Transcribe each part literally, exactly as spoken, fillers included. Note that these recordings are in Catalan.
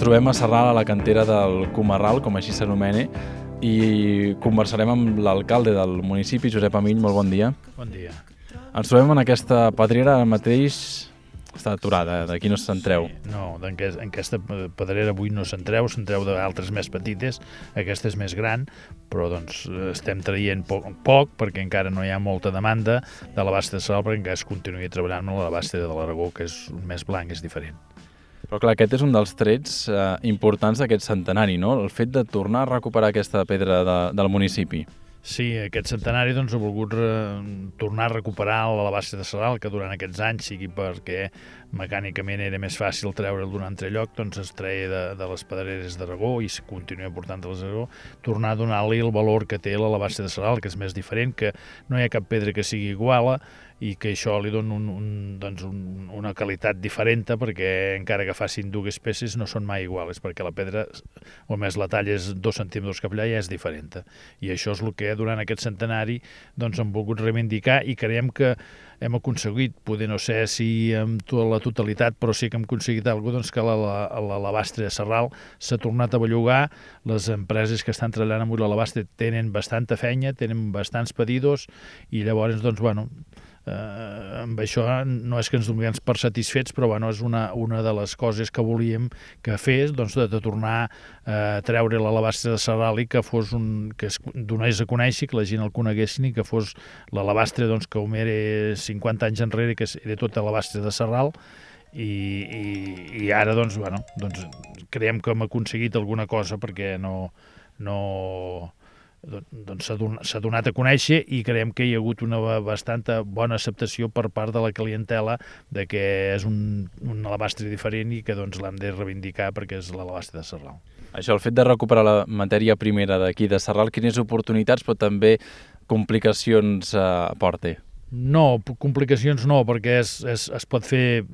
trobem a Sarral, a la cantera del Comarral, com així s'anomena, i conversarem amb l'alcalde del municipi, Josep Amill. Molt bon dia. Bon dia. Ens trobem en aquesta pedrera, ara mateix està aturada, d'aquí no s'entreu. Sí, no, en aquesta pedrera avui no s'entreu, s'entreu d'altres més petites, aquesta és més gran, però doncs estem traient poc, poc perquè encara no hi ha molta demanda de la basta de Sarral, perquè encara es continuï treballant amb la basta de l'Aragó, que és més blanc, és diferent. Però clar, aquest és un dels trets eh, importants d'aquest centenari, no? El fet de tornar a recuperar aquesta pedra de, del municipi. Sí, aquest centenari doncs, ha volgut re, tornar a recuperar la base de Sarral, que durant aquests anys, sigui perquè mecànicament era més fàcil treure'l d'un altre lloc, doncs es treia de, de les pedreres d'Aragó i es continua portant de les d'Aragó, tornar a donar-li el valor que té la base de Sarral, que és més diferent, que no hi ha cap pedra que sigui igual i que això li dona un, un, doncs un, una qualitat diferent, perquè encara que facin dues peces no són mai iguals, perquè la pedra, o més la talla és dos centímetres cap allà, ja és diferent. I això és el que durant aquest centenari doncs, hem volgut reivindicar i creiem que hem aconseguit, poder no sé si amb tota la totalitat, però sí que hem aconseguit alguna cosa, doncs que l'alabastre de Sarral s'ha tornat a bellugar. Les empreses que estan treballant amb l'alabastre tenen bastanta feina, tenen bastants pedidos i llavors, doncs, bueno, eh, amb això no és que ens donem per satisfets, però bueno, és una, una de les coses que volíem que fes, doncs, de, de tornar a treure l'alabastre de Sarral i que fos un, que es donés a conèixer, que la gent el coneguessin i que fos l'alabastre, doncs, que com era cinquanta anys enrere, que era tot alabastre de Sarral, i, i, i ara, doncs, bueno, doncs, creiem que hem aconseguit alguna cosa perquè no... no doncs s'ha donat a conèixer i creiem que hi ha hagut una bastanta bona acceptació per part de la clientela de que és un, un alabastre diferent i que doncs l'hem de reivindicar perquè és l'alabastre de Sarral. Això, el fet de recuperar la matèria primera d'aquí de Sarral, quines oportunitats però també complicacions eh, aporta? No, complicacions no, perquè es, es, es pot fer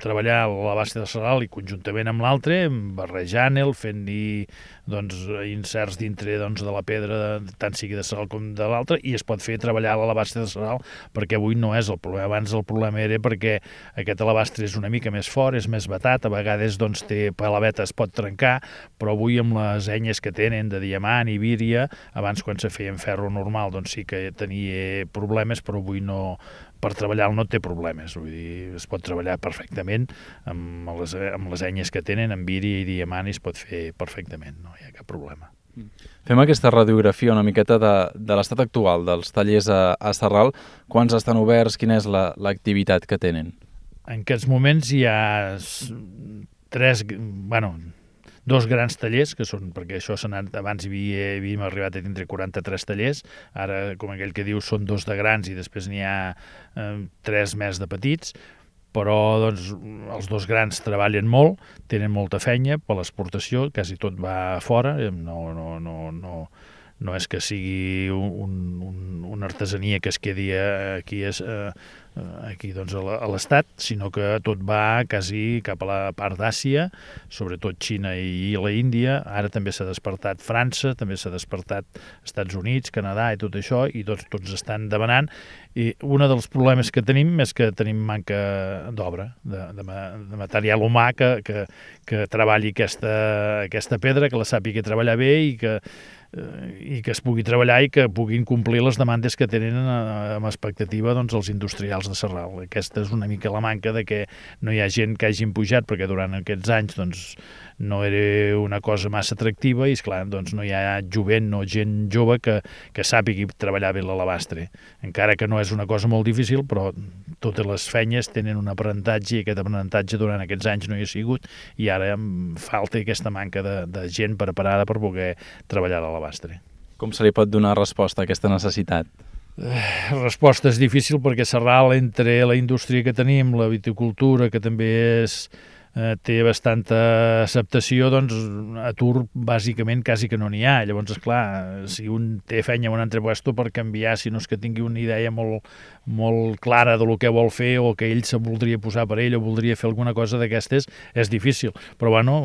treballar l'alabastre de Sarral i conjuntament amb l'altre, barrejant-el, fent-hi doncs, inserts dintre doncs, de la pedra, tant sigui de Sarral com de l'altre, i es pot fer treballar l'alabastre de Sarral, perquè avui no és el problema. Abans el problema era perquè aquest alabastre és una mica més fort, és més batat, a vegades doncs, té palaveta, es pot trencar, però avui amb les enyes que tenen de diamant i víria, abans quan se feia en ferro normal doncs sí que tenia problemes, però avui no, per treballar no té problemes, vull dir, es pot treballar perfectament amb les, amb les enyes que tenen, amb víria i diamant, i es pot fer perfectament, no hi ha cap problema. Fem aquesta radiografia una miqueta de, de l'estat actual dels tallers a, a Sarral. Quants estan oberts? Quina és l'activitat la, que tenen? En aquests moments hi ha tres, bueno, dos grans tallers, que són, perquè això s'ha anat, abans hi havia, havíem arribat a tindre quaranta-tres tallers, ara, com aquell que diu, són dos de grans i després n'hi ha eh, tres més de petits, però doncs, els dos grans treballen molt, tenen molta feina per l'exportació, quasi tot va fora, no, no, no, no, no és que sigui un, un, una artesania que es quedi aquí, eh, aquí doncs, a l'Estat, sinó que tot va quasi cap a la part d'Àsia, sobretot Xina i la Índia. Ara també s'ha despertat França, també s'ha despertat Estats Units, Canadà i tot això, i tots, tots estan demanant. I un dels problemes que tenim és que tenim manca d'obra, de, de, de material humà que, que, que treballi aquesta, aquesta pedra, que la sàpiga treballar bé i que i que es pugui treballar i que puguin complir les demandes que tenen amb expectativa doncs, els industrials de Sarral. Aquesta és una mica la manca de que no hi ha gent que hagin pujat, perquè durant aquests anys doncs, no era una cosa massa atractiva i, esclar, doncs, no hi ha jovent, no gent jove que, que sàpigui treballar bé l'alabastre. Encara que no és una cosa molt difícil, però totes les feines tenen un aprenentatge i aquest aprenentatge durant aquests anys no hi ha sigut i ara em falta aquesta manca de, de gent preparada per poder treballar l'alabastre. Com se li pot donar resposta a aquesta necessitat? Eh, resposta és difícil perquè Sarral, entre la indústria que tenim, la viticultura, que també és eh, té bastanta acceptació, doncs atur bàsicament quasi que no n'hi ha. Llavors, esclar, si un té feina en un altre puesto per canviar, si no és que tingui una idea molt, molt clara de lo que vol fer o que ell se voldria posar per ell o voldria fer alguna cosa d'aquestes, és difícil. Però, bueno,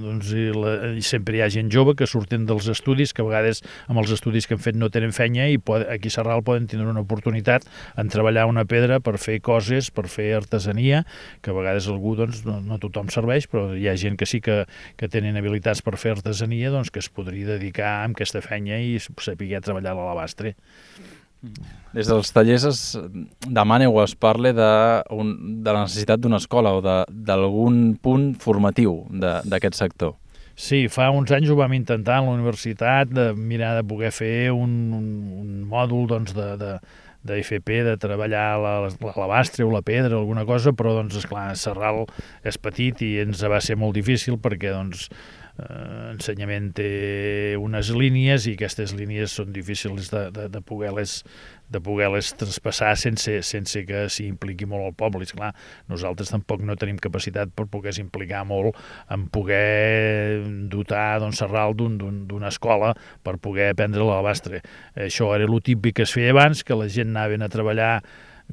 doncs, i la, i sempre hi ha gent jove que surten dels estudis, que a vegades amb els estudis que han fet no tenen feina i pot, aquí a Sarral poden tindre una oportunitat en treballar una pedra per fer coses, per fer artesania, que a vegades algú doncs, no, no tothom tothom serveix, però hi ha gent que sí que, que tenen habilitats per fer artesania, doncs que es podria dedicar a aquesta feina i saber treballar a l'alabastre. Des dels tallers es demana o es parla de, un, de la necessitat d'una escola o d'algun punt formatiu d'aquest sector. Sí, fa uns anys ho vam intentar a la universitat, de mirar de poder fer un, un, un mòdul doncs, de, de, de F P, de treballar l'alabastre o la pedra, alguna cosa, però doncs, esclar, Sarral és petit i ens va ser molt difícil perquè doncs, eh, ensenyament té unes línies i aquestes línies són difícils de, de, de poder-les de poder-les traspassar sense, sense que s'hi impliqui molt el poble. I, esclar, nosaltres tampoc no tenim capacitat per poder s'implicar molt en poder dotar doncs, Sarral d'una escola per poder aprendre l'alabastre. Això era el típic que es feia abans, que la gent anaven a treballar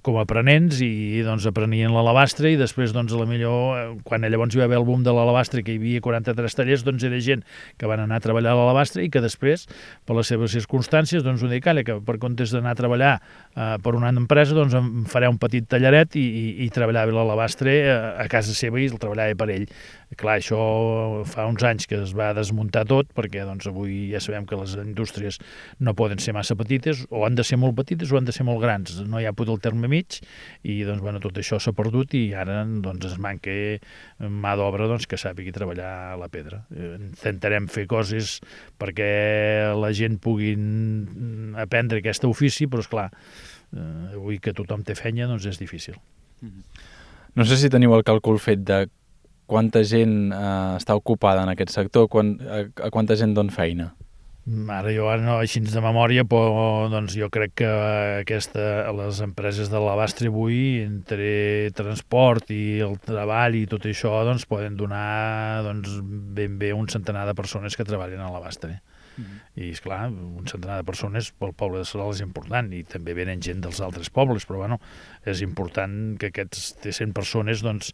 com a aprenents i doncs aprenien l'alabastre i després doncs a la millor quan llavors hi va haver el boom de l'alabastre que hi havia quaranta-tres tallers doncs era gent que van anar a treballar a l'alabastre i que després per les seves circumstàncies doncs ho dic, calla, que per comptes d'anar a treballar eh, per una empresa doncs em faré un petit tallaret i, i, i treballava l'alabastre a, a casa seva i el treballava per ell. Clar, això fa uns anys que es va desmuntar tot perquè doncs avui ja sabem que les indústries no poden ser massa petites o han de ser molt petites o han de ser molt grans, no hi ha pot el terme mig i doncs, bueno, tot això s'ha perdut i ara doncs, es manca mà d'obra doncs, que sàpigui treballar la pedra. Intentarem fer coses perquè la gent pugui aprendre aquest ofici, però esclar, avui que tothom té feina doncs és difícil. No sé si teniu el càlcul fet de quanta gent eh, està ocupada en aquest sector, quan, a, a quanta gent dona feina? Ara jo ara no, així de memòria, però doncs jo crec que aquesta, les empreses de l'alabastre avui, entre transport i el treball i tot això, doncs poden donar doncs, ben bé un centenar de persones que treballen a l'alabastre. Mm-hmm. I, esclar, un centenar de persones pel poble de Sarral és important i també venen gent dels altres pobles, però bueno, és important que aquests cent persones doncs,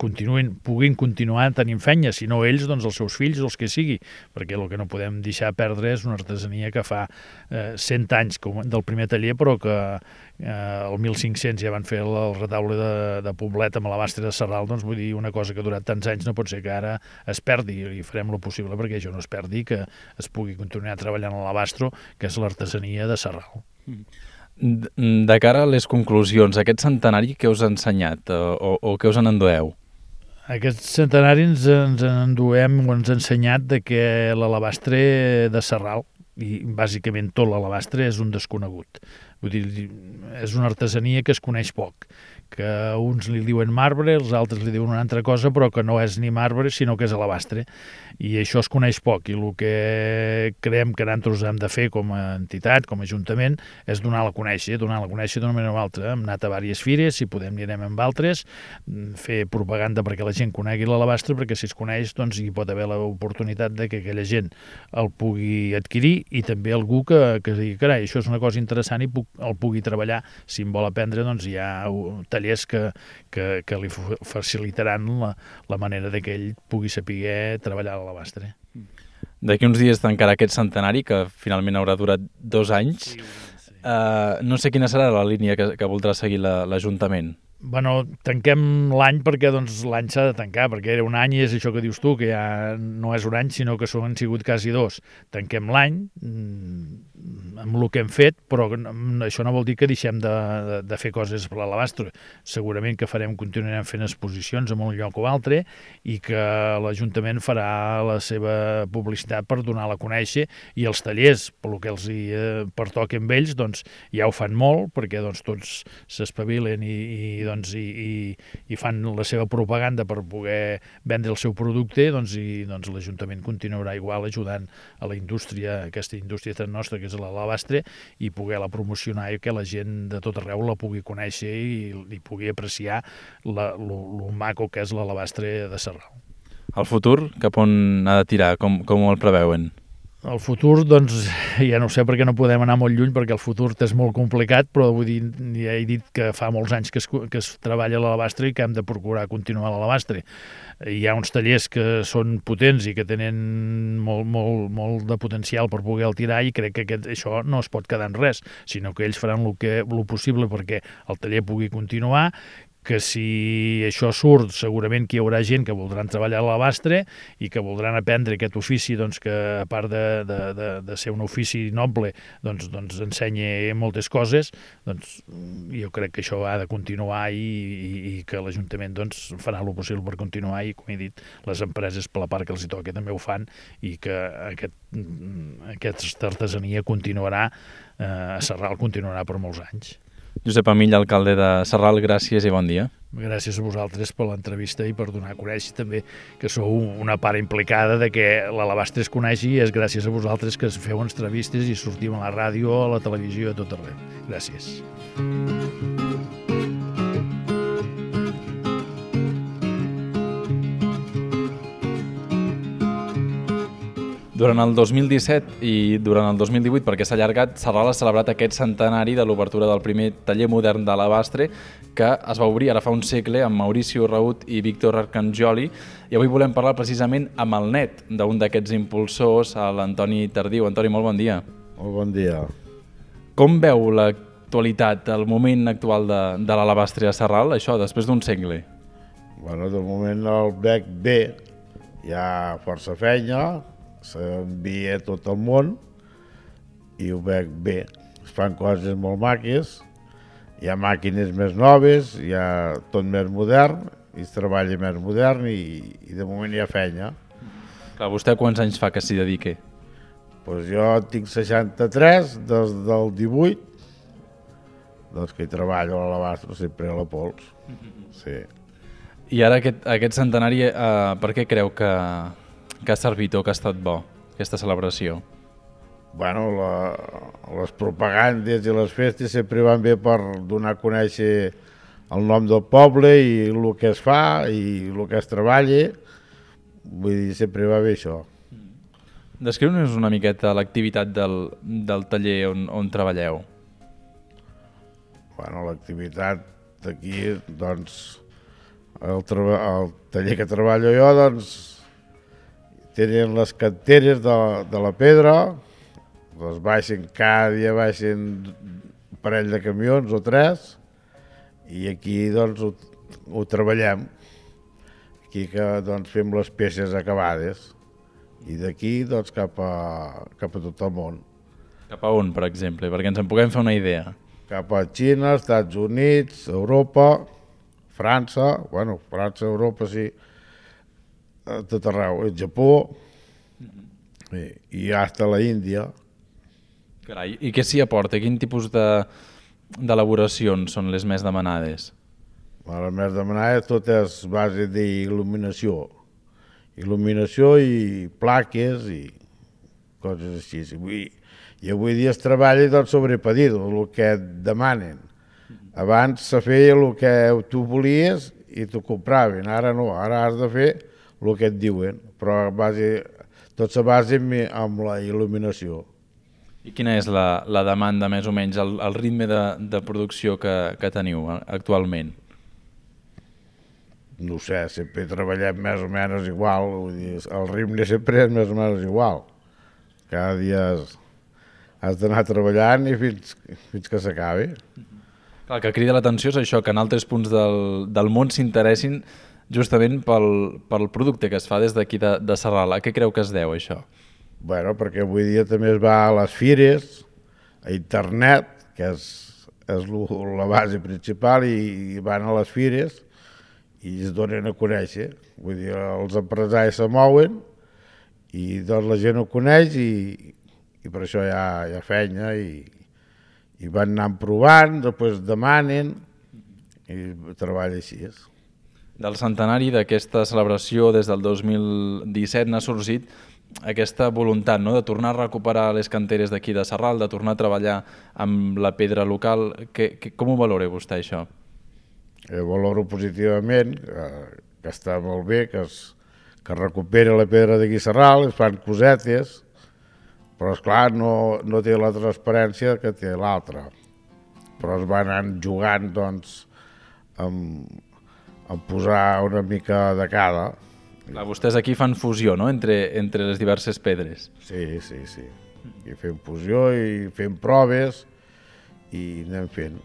continuïn, puguin continuar tenint feina, si no ells, doncs els seus fills o els que sigui, perquè el que no podem deixar perdre és una artesania que fa eh, cent anys com del primer taller, però que eh, el mil cinc-cents ja van fer el, el retaule de, de Poblet amb l'alabastre de Sarral, doncs vull dir, una cosa que ha durat tants anys no pot ser que ara es perdi i farem el possible perquè això no es perdi, que es pugui continuar treballant a l'alabastro, que és l'artesania de Sarral. De cara a les conclusions, aquest centenari què us ha ensenyat o, o què us en endueu? Aquest centenari ens, ens enduem o ens ha ensenyat de que l'alabastre de Sarral, i bàsicament tot l'alabastre, és un desconegut. Vull dir, és una artesania que es coneix poc, que uns li diuen marbre, els altres li diuen una altra cosa, però que no és ni marbre, sinó que és alabastre. I això es coneix poc, i el que creiem que nosaltres hem de fer com a entitat, com a ajuntament, és donar-la a conèixer, donar-la a conèixer d'una manera o altra. Hem anat a diverses fires, si podem anirem amb altres, fer propaganda perquè la gent conegui l'alabastre, perquè si es coneix, doncs hi pot haver l'oportunitat de que aquella gent el pugui adquirir i també algú que, que digui, carai, això és una cosa interessant i puc, el pugui treballar. Si en vol aprendre, doncs hi ha tallers que, que, que li facilitaran la, la manera de que ell pugui saber treballar a l'alabastre. D'aquí uns dies tancarà aquest centenari, que finalment haurà durat dos anys. Sí, sí. Uh, no sé quina serà la línia que, que voldrà seguir l'Ajuntament. Bueno, tanquem l'any perquè doncs, l'any s'ha de tancar, perquè era un any i és això que dius tu, que ja no és un any, sinó que són, han sigut quasi dos. Tanquem l'any amb el que hem fet, però això no vol dir que deixem de, de, de fer coses per l'alabastre. Segurament que farem, continuarem fent exposicions en un lloc o altre i que l'Ajuntament farà la seva publicitat per donar-la a conèixer i els tallers, pel que els hi eh, pertoquen amb ells, doncs ja ho fan molt, perquè doncs, tots s'espavilen i, i doncs, i, i, i fan la seva propaganda per poder vendre el seu producte, doncs, i doncs, l'Ajuntament continuarà igual ajudant a la indústria, aquesta indústria tan nostra que és l'alabastre, i poder-la promocionar i que la gent de tot arreu la pugui conèixer i, i pugui apreciar el maco que és l'alabastre de Sarral. El futur, cap on ha de tirar? Com, com el preveuen? El futur, doncs, ja no sé perquè no podem anar molt lluny, perquè el futur és molt complicat, però vull dir, ja he dit que fa molts anys que es, que es treballa a l'alabastre i que hem de procurar continuar a l'alabastre. Hi ha uns tallers que són potents i que tenen molt, molt, molt de potencial per poder-el tirar i crec que aquest, això no es pot quedar en res, sinó que ells faran el, que, el possible perquè el taller pugui continuar, que si això surt segurament que hi haurà gent que voldran treballar a l'Alabastre i que voldran aprendre aquest ofici, doncs, que a part de, de, de, de ser un ofici noble doncs, doncs ensenya moltes coses. Doncs jo crec que això ha de continuar i, i, i que l'Ajuntament doncs, farà el possible per continuar i, com he dit, les empreses per la part que els hi toca també ho fan i que aquest, aquesta artesania continuarà, eh, a Sarral continuarà per molts anys. Josep Amill, alcalde de Sarral, gràcies i bon dia. Gràcies a vosaltres per l'entrevista i per donar a conèixer també que sou una part implicada de que l'Alabastre es coneixi, i és gràcies a vosaltres que feu entrevistes i sortim a la ràdio, a la televisió, a tot arreu. Gràcies. Durant el dos mil disset i durant el dos mil divuit, perquè s'ha allargat, Sarral ha celebrat aquest centenari de l'obertura del primer taller modern d'Alabastre, que es va obrir ara fa un segle amb Mauricio Raut i Víctor Arcangioli, i avui volem parlar precisament amb el net d'un d'aquests impulsors, l'Antoni Tardiu. Antoni, molt bon dia. Molt bon dia. Com veu l'actualitat, el moment actual de, de l'Alabastre a Sarral, això, després d'un segle? Bueno, de moment el veig bé, hi ha força feina, s'envia a tot el món i ho veig bé. Es fan coses molt maques, hi ha màquines més noves, hi ha tot més modern, i es treballa més modern i, i de moment hi ha feina. Clar, vostè quants anys fa que s'hi dediqui? Pues jo tinc seixanta-tres, des del divuit, doncs que hi treballo a l'Alabastre, sempre a la pols. Sí. I ara aquest, aquest centenari, eh, per què creu que, que ha servit o que ha estat bo, aquesta celebració? Bueno, la, les propagandes i les festes sempre van bé per donar a conèixer el nom del poble i el que es fa i el que es treballa. Vull dir, sempre va bé això. Descriu-nos una miqueta l'activitat del, del taller on, on treballeu. Bueno, l'activitat d'aquí, doncs, el, el taller que treballo jo, doncs, tenen les canteres de, de la pedra, les baixen, cada dia baixen un parell de camions o tres, i aquí doncs ho, ho treballem. Aquí que doncs fem les peces acabades, i d'aquí doncs cap a, cap a tot el món. Cap a on, per exemple, perquè ens en puguem fer una idea? Cap a Xina, Estats Units, Europa, França, bueno, França, Europa sí, a tot arreu, el Japó, i, i hasta la Índia. Carai, i què s'hi aporta? Quin tipus d'elaboracions són les més demanades? Les més demanades tot és base d'il·luminació. Il·luminació i plaques i coses així. I avui dia es treballa doncs, sobre pedido, el que et demanen. Abans se feia el que tu volies i t'ho compraven, ara no, ara has de fer el que et diuen, però base, tot se basa amb la il·luminació. I quina és la, la demanda, més o menys, el, el ritme de, de producció que, que teniu actualment? No sé, sempre treballem més o menys igual, vull dir, el ritme sempre és més o menys igual. Cada dia has, has d'anar treballant i fins, fins que s'acabi. El que crida l'atenció és això, que en altres punts del, del món s'interessin justament pel, pel producte que es fa des d'aquí de, de Sarral. A què creu que es deu, això? Bueno, perquè avui dia també es va a les fires, a internet, que és, és la base principal, i, i van a les fires i es donen a conèixer. Vull dir, els empresaris se mouen i doncs la gent ho coneix i, i per això hi ha, hi ha feina i, i van anant provant, després demanen i treballa així. Del centenari d'aquesta celebració des del dos mil disset n'ha sorgit aquesta voluntat, no?, de tornar a recuperar les canteres d'aquí de Sarral, de tornar a treballar amb la pedra local. Que, que, com ho valora vostè, això? Jo valoro positivament, que, que està molt bé, que es, que es recupera la pedra d'aquí a Sarral, es fan cosetes, però esclar no, no té la transparència que té l'altra. Però es van anar jugant doncs, amb, amb posar una mica de cada. Clar, vostès aquí fan fusió, no?, entre, entre les diverses pedres. Sí, sí, sí. I fem fusió i fem proves i anem fent.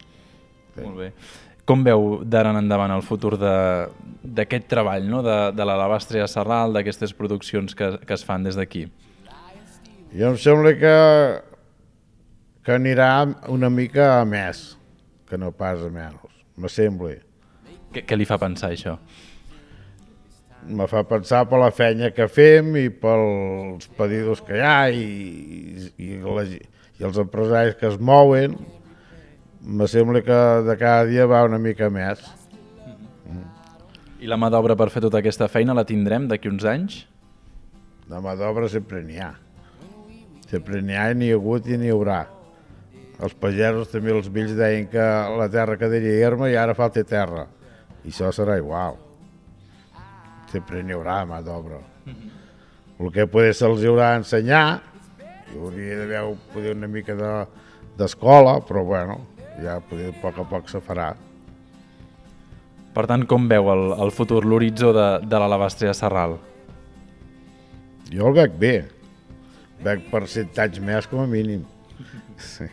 Molt bé. Com veu d'ara en endavant el futur d'aquest treball, no? de, de l'Alabastre a Sarral, d'aquestes produccions que, que es fan des d'aquí? Jo em sembla que, que anirà una mica a més, que no pas a menys, me sembla. Què, què li fa pensar això? Me fa pensar per la feina que fem i pels pedidos que hi ha i, i, la, i els empresaris que es mouen. Me sembla que de cada dia va una mica més. Mm. I la mà d'obra per fer tota aquesta feina la tindrem d'aquí uns anys? La mà d'obra sempre n'hi ha. Sempre n'hi ha i n'hi ha hagut i n'hi haurà. Els pagesos també, els vells deien que la terra quedaria erma i ara falta terra. I això serà igual. Sempre n'hi haurà mà d'obra. Mm-hmm. El que poder se'ls haurà d'ensenyar, hi hauria d'haver una mica d'escola, de, però bueno, ja poder, a poc a poc se farà. Per tant, com veu el, el futur, l'horitzó de, de l'Alabastre a Sarral? Jo el veig bé. Veig per cent anys més com a mínim. Sí.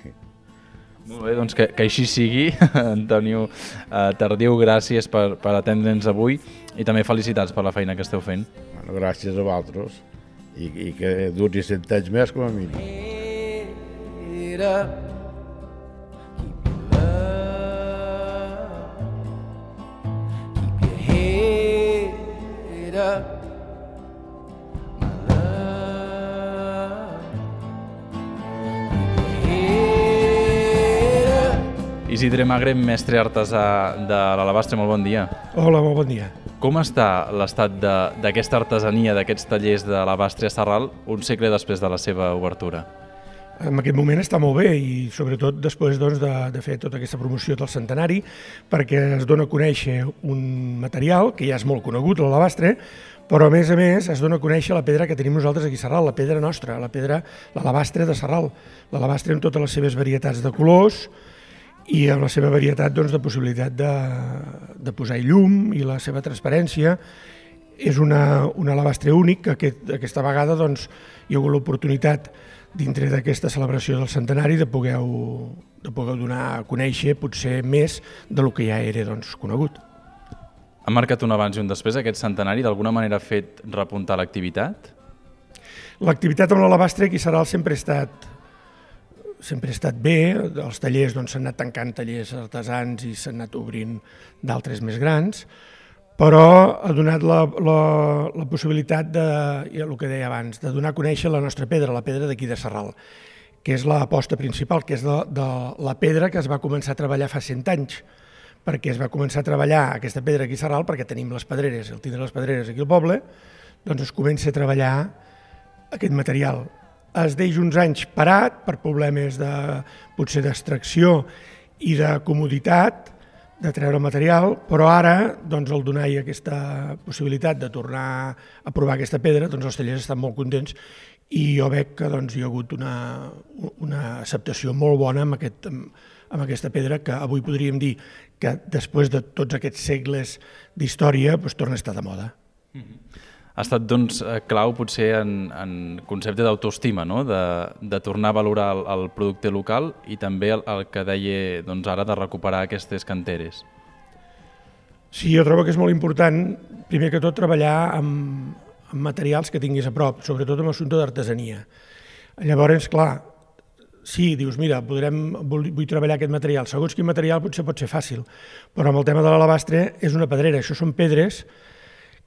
Molt bé, doncs que, que així sigui. Antonio eh, Tardiu, gràcies per, per atendre'ns avui i també felicitats per la feina que esteu fent. Bueno, gràcies a vosaltres i, i que duri cent anys més com a mínim. Isidre Magre, mestre artesà de l'Alabastre, molt bon dia. Hola, molt bon dia. Com està l'estat d'aquesta artesania, d'aquests tallers de l'Alabastre a Sarral, un segle després de la seva obertura? En aquest moment està molt bé i sobretot després doncs, de, de fer tota aquesta promoció del centenari, perquè es dona a conèixer un material que ja és molt conegut, l'alabastre, però a més a més es dona a conèixer la pedra que tenim nosaltres aquí a Sarral, la pedra nostra, la pedra, l'alabastre de Sarral, l'alabastre amb totes les seves varietats de colors i amb la seva varietat doncs, de possibilitat de, de posar-hi llum i la seva transparència. És una, un alabastre únic que aquest, aquesta vegada doncs, hi ha hagut l'oportunitat dintre d'aquesta celebració del centenari de poder, de poder donar a conèixer potser més del que ja era doncs, conegut. Ha marcat un abans i un després aquest centenari? D'alguna manera ha fet repuntar l'activitat? L'activitat amb l'alabastre aquí a Sarral sempre ha estat sempre ha estat bé, els tallers doncs, s'han anat tancant tallers artesans i s'han anat obrint d'altres més grans, però ha donat la, la, la possibilitat de, el que deia abans, de donar a conèixer la nostra pedra, la pedra d'aquí de Sarral, que és l'aposta principal, que és de, de la pedra que es va començar a treballar fa cent anys, perquè es va començar a treballar aquesta pedra aquí a Sarral perquè tenim les pedreres, el tindre les pedreres aquí al poble, doncs es comença a treballar aquest material. Es deix uns anys parat per problemes de, potser d'extracció i de comoditat de treure material, però ara doncs, el donar-hi aquesta possibilitat de tornar a provar aquesta pedra, doncs els tallers estan molt contents i jo veig que doncs, hi ha hagut una, una acceptació molt bona amb, aquest, amb aquesta pedra que avui podríem dir que després de tots aquests segles d'història doncs, torna a estar de moda. Mm-hmm. Ha estat doncs, clau potser en, en concepte d'autoestima, no? de, de tornar a valorar el, el producte local i també el, el que deia doncs, ara de recuperar aquestes canteres. Sí, jo trobo que és molt important, primer que tot, treballar amb, amb materials que tinguis a prop, sobretot amb assumpte d'artesania. Llavors, clar, sí, dius, mira, podrem, vull, vull treballar aquest material. Segons quin material potser pot ser fàcil, però amb el tema de l'alabastre és una pedrera, això són pedres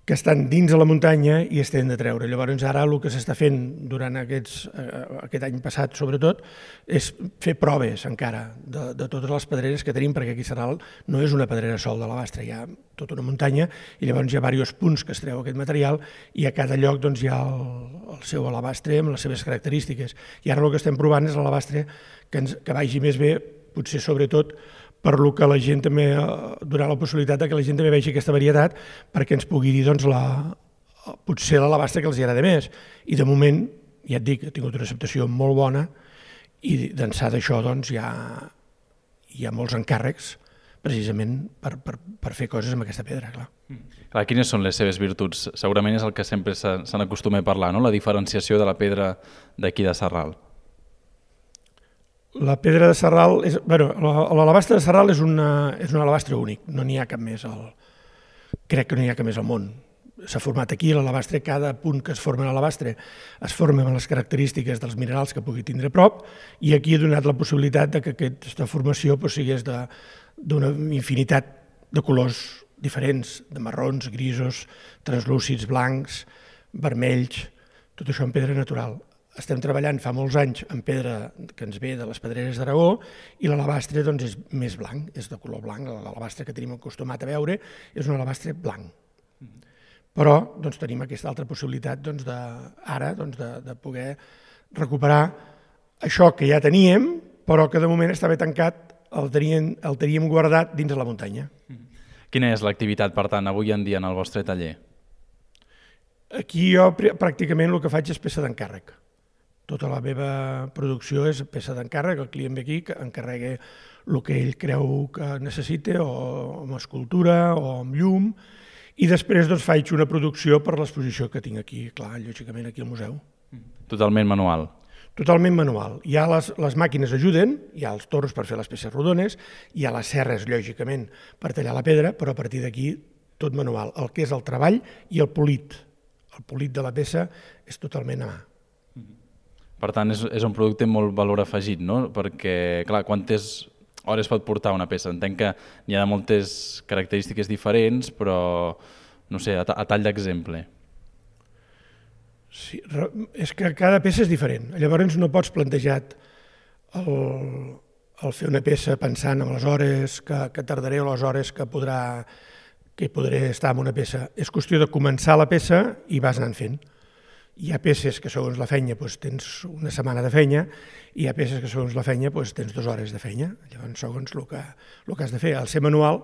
que estan dins de la muntanya i es tenen de treure. Llavors ara el que s'està fent durant aquests, eh, aquest any passat sobretot és fer proves encara de, de totes les pedreres que tenim, perquè aquí a Sarral no és una pedrera sol de l'alabastre, hi ha tota una muntanya i llavors hi ha diversos punts que es treu aquest material i a cada lloc doncs, hi ha el, el seu alabastre amb les seves característiques. I ara el que estem provant és l'alabastre que, ens, que vagi més bé, potser sobretot per lo que la gent també, donar la possibilitat que la gent també vegi aquesta varietat perquè ens pugui dir doncs, la, potser l'alabastre que els agrada més. I de moment, ja et dic, ha tingut una acceptació molt bona i d'ençà d'això doncs, hi, ha, hi ha molts encàrrecs precisament per, per, per fer coses amb aquesta pedra. Clar. Clar, quines són les seves virtuts? Segurament és el que sempre se, se n'acostuma a parlar, no? La diferenciació de la pedra d'aquí de Sarral. La pedra de Sarral, és, bueno, l'alabastre de Sarral és, una, és un alabastre únic, no n'hi ha cap més al, crec que no n'hi ha cap més al món. S'ha format aquí l'alabastre, cada punt que es forma en l'alabastre es forma amb les característiques dels minerals que pugui tindre a prop, i aquí ha donat la possibilitat de que aquesta formació pues, sigués d'una infinitat de colors diferents, de marrons, grisos, translúcids, blancs, vermells, tot això en pedra natural. Estem treballant fa molts anys en pedra que ens ve de les Pedreres d'Aragó i l'alabastre doncs, és més blanc, és de color blanc. L'alabastre que tenim acostumat a veure és un alabastre blanc. Però doncs, tenim aquesta altra possibilitat doncs, de, ara doncs, de, de poder recuperar això que ja teníem, però que de moment estava tancat, el teníem, el teníem guardat dins de la muntanya. Quina és l'activitat, per tant, avui en dia en el vostre taller? Aquí jo pràcticament el que faig és peça d'encàrrec. Tota la meva producció és peça d'encàrrec, el client ve aquí, que encarregui el que ell creu que necessita, o amb escultura o amb llum, i després doncs, faig una producció per l'exposició que tinc aquí, clar, lògicament aquí al museu. Totalment manual? Totalment manual. Ja les, les màquines ajuden, hi ha els torns per fer les peces rodones, hi ha les serres, lògicament, per tallar la pedra, però a partir d'aquí tot manual. El que és el treball i el polit. El polit de la peça és totalment a mà. Per tant, és, és un producte amb molt valor afegit, no? Perquè, clar, quantes hores pot portar una peça? Entenc que n'hi ha de moltes característiques diferents, però, no sé, a, a tall d'exemple. Sí, és que cada peça és diferent. Llavors no pots plantejar el, el fer una peça pensant en les hores que, que tardaré o les hores que podrà que podré estar en una peça. És qüestió de començar la peça i vas anant fent. Hi ha peces que segons la feina doncs, tens una setmana de feina i hi ha peces que segons la feina doncs, tens dues hores de feina. Llavors, segons el que, el que has de fer. El ser manual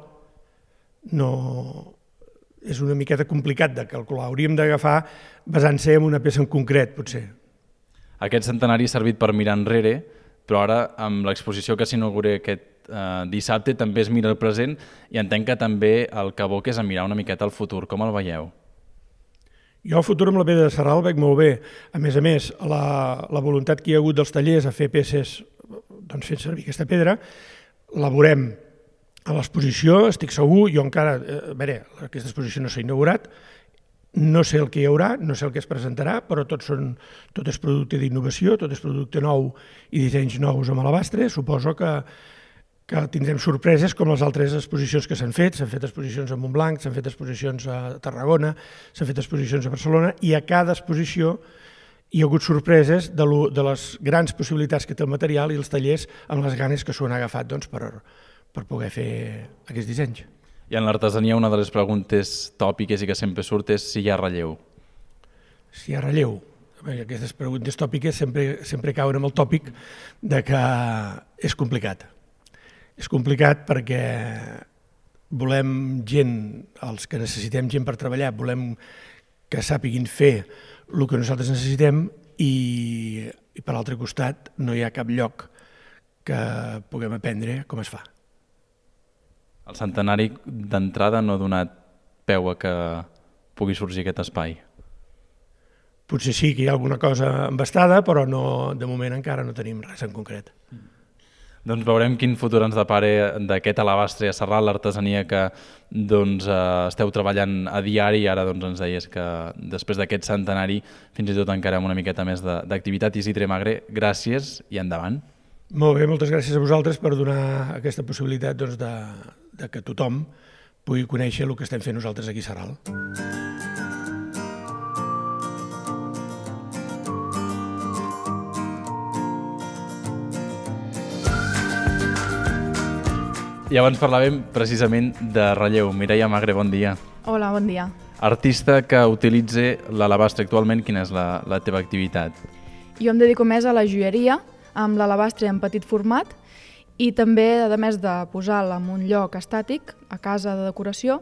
no és una miqueta complicat de calcular. Hauríem d'agafar basant-se en una peça en concret, potser. Aquest centenari ha servit per mirar enrere, però ara amb l'exposició que s'inaugura aquest eh, dissabte també es mira el present i entenc que també el que aboca és a mirar una miqueta el futur. Com el veieu? Jo el futur amb la pedra de Sarral el veig molt bé. A més a més, la, la voluntat que hi ha hagut dels tallers a fer peces doncs, fent servir aquesta pedra, la veurem a l'exposició, estic segur, jo encara, a veure, aquesta exposició no s'ha inaugurat, no sé el que hi haurà, no sé el que es presentarà, però tot, són, tot és producte d'innovació, tot és producte nou i dissenys nous amb alabastre. Suposo que, que tindrem sorpreses com les altres exposicions que s'han fet. S'han fet exposicions a Montblanc, s'han fet exposicions a Tarragona, s'han fet exposicions a Barcelona, i a cada exposició hi ha hagut sorpreses de, lo, de les grans possibilitats que té el material i els tallers amb les ganes que s'ho han agafat doncs, per, per poder fer aquests dissenys. I en l'artesania una de les preguntes tòpiques i que sempre surt és si hi ha relleu. Si hi ha relleu. Aquestes preguntes tòpiques sempre, sempre cauen amb el tòpic de que és complicat. És complicat perquè volem gent, els que necessitem gent per treballar, volem que sàpiguin fer el que nosaltres necessitem i, i per l'altre costat no hi ha cap lloc que puguem aprendre com es fa. El centenari d'entrada no ha donat peu a que pugui sorgir aquest espai. Potser sí que hi ha alguna cosa embastada, però no, de moment encara no tenim res en concret. Doncs veurem quin futur ens depara d'aquest alabastre a Sarral, l'artesania que doncs, eh, esteu treballant a diari, i ara doncs, ens deies que després d'aquest centenari fins i tot encara amb una miqueta més d'activitat. Isidre Magre, gràcies i endavant. Molt bé, moltes gràcies a vosaltres per donar aquesta possibilitat doncs, de, de que tothom pugui conèixer el que estem fent nosaltres aquí a Sarral. I abans parlàvem precisament de relleu. Mireia Magre, bon dia. Hola, bon dia. Artista que utilitza l'alabastre actualment, quina és la, la teva activitat? Jo em dedico més a la joieria, amb l'alabastre en petit format, i també, a més de posar-la en un lloc estàtic, a casa de decoració,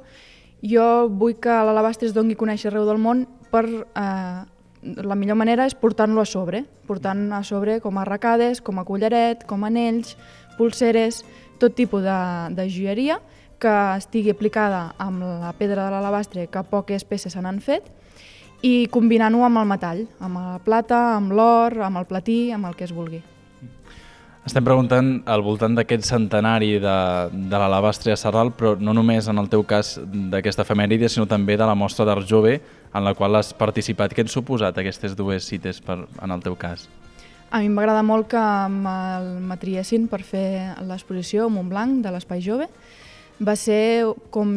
jo vull que l'alabastre es doni a conèixer arreu del món per... Eh, la millor manera és portant-lo a sobre, portant a sobre com a arracades, com a collaret, com a anells, pulseres, tot tipus de, de joieria que estigui aplicada amb la pedra de l'alabastre, que poques peces se n'han fet, i combinant-ho amb el metall, amb la plata, amb l'or, amb el platí, amb el que es vulgui. Estem preguntant al voltant d'aquest centenari de, de l'Alabastre a Sarral, però no només en el teu cas d'aquesta efemèride, sinó també de la mostra d'art jove en la qual has participat. Què han suposat aquestes dues cites per, en el teu cas? A mi m'agrada molt que m'atriessin per fer l'exposició Montblanc de l'Espai Jove. Va ser com,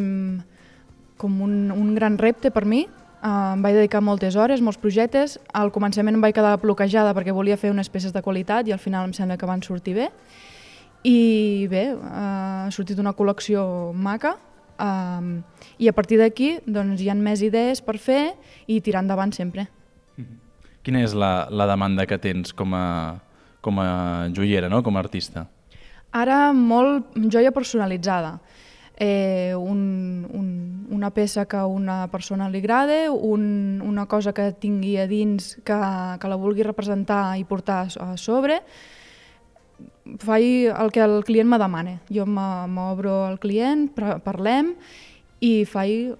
com un, un gran repte per mi. Uh, em vaig dedicar moltes hores, molts projectes. Al començament em vaig quedar bloquejada perquè volia fer unes peces de qualitat i al final em sembla que van sortir bé. I bé, uh, ha sortit una col·lecció maca uh, i a partir d'aquí doncs, hi ha més idees per fer i tirar endavant sempre. Quina és la, la demanda que tens com a, com a joiera, no? Com a artista? Ara molt joia personalitzada. Eh, un, un, una peça que a una persona li agrada, un, una cosa que tingui a dins que, que la vulgui representar i portar a sobre. Faig el que el client me demana. Jo m'obro al client, parlem i faig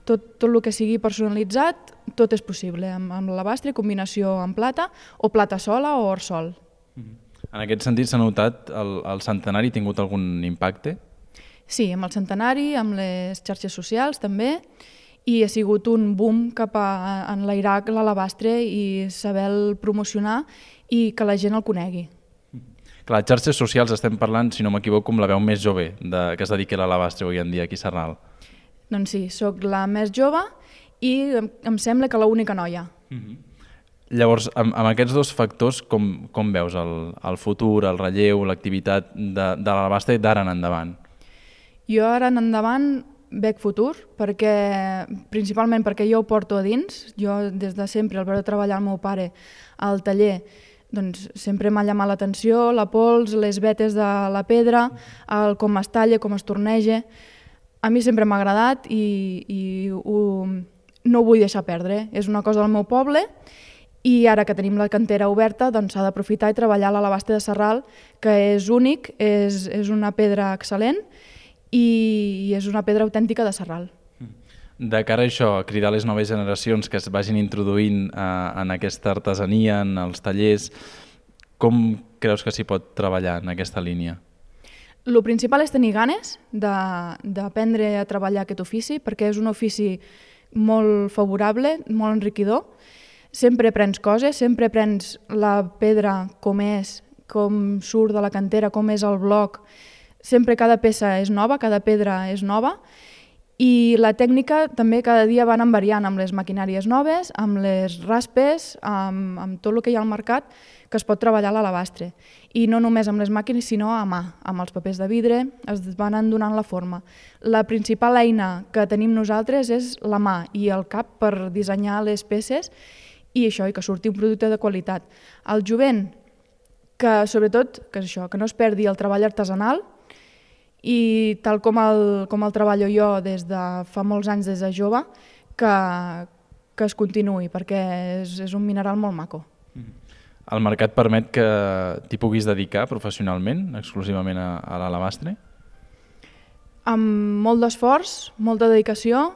tot, tot el que sigui personalitzat, tot és possible, amb, amb l'alabastre, combinació amb plata, o plata sola o or sol. En aquest sentit, s'ha notat el, el centenari ha tingut algun impacte? Sí, amb el centenari, amb les xarxes socials també, i ha sigut un boom cap a enlairar l'alabastre i saber-lo promocionar i que la gent el conegui. Clar, xarxes socials estem parlant, si no m'equivoco, com la veu més jove de, que es dediqui a l'alabastre avui en dia aquí a Sarral. Doncs sí, sóc la més jove i em, em sembla que l'única noia. Mm-hmm. Llavors, amb, amb aquests dos factors, com, com veus el, el futur, el relleu, l'activitat de, de l'alabastre d'ara en endavant? Jo ara en endavant veig futur, perquè, principalment perquè jo ho porto a dins. Jo des de sempre, al veure treballar el meu pare al taller, doncs sempre m'ha llamat l'atenció, la pols, les vetes de la pedra, el com es talla, com es torneja. A mi sempre m'ha agradat i, i ho, no ho vull deixar perdre. És una cosa del meu poble i ara que tenim la cantera oberta doncs s'ha d'aprofitar i treballar l'alabastre de Sarral, que és únic, és, és una pedra excel·lent i és una pedra autèntica de Sarral. De cara a això, a cridar les noves generacions que es vagin introduint eh, en aquesta artesania, en els tallers, com creus que s'hi pot treballar en aquesta línia? El principal és tenir ganes d'aprendre a treballar aquest ofici, perquè és un ofici molt favorable, molt enriquidor. Sempre aprens coses, sempre aprens la pedra com és, com surt de la cantera, com és el bloc. Sempre cada peça és nova, cada pedra és nova i la tècnica també cada dia van variant amb les maquinàries noves, amb les raspes, amb, amb tot el que hi ha al mercat que es pot treballar a l'alabastre. I no només amb les màquines, sinó a mà, amb els papers de vidre, es van donant la forma. La principal eina que tenim nosaltres és la mà i el cap per dissenyar les peces i això, i que surti un producte de qualitat. El jovent, que sobretot, que és això, que no es perdi el treball artesanal, i tal com el, com el treballo jo des de fa molts anys, des de jove, que, que es continuï, perquè és, és un mineral molt maco. El mercat permet que t'hi puguis dedicar professionalment, exclusivament a, a l'alabastre? Amb molt d'esforç, molta dedicació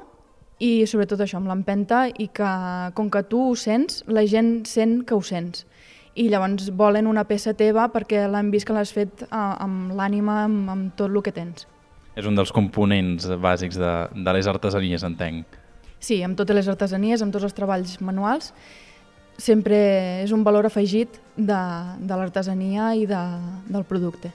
i sobretot això, amb l'empenta i que com que tu ho sents, la gent sent que ho sents. I llavors volen una peça teva perquè l'han vist que l'has fet amb l'ànima, amb, amb tot el que tens. És un dels components bàsics de, de les artesanies, entenc. Sí, amb totes les artesanies, amb tots els treballs manuals, sempre és un valor afegit de, de l'artesania i de, del producte.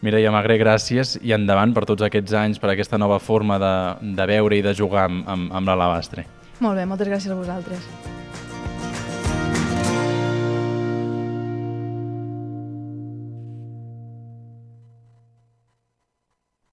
Mireia Magre, gràcies i endavant per tots aquests anys, per aquesta nova forma de, de veure i de jugar amb, amb, amb l'alabastre. Molt bé, moltes gràcies a vosaltres.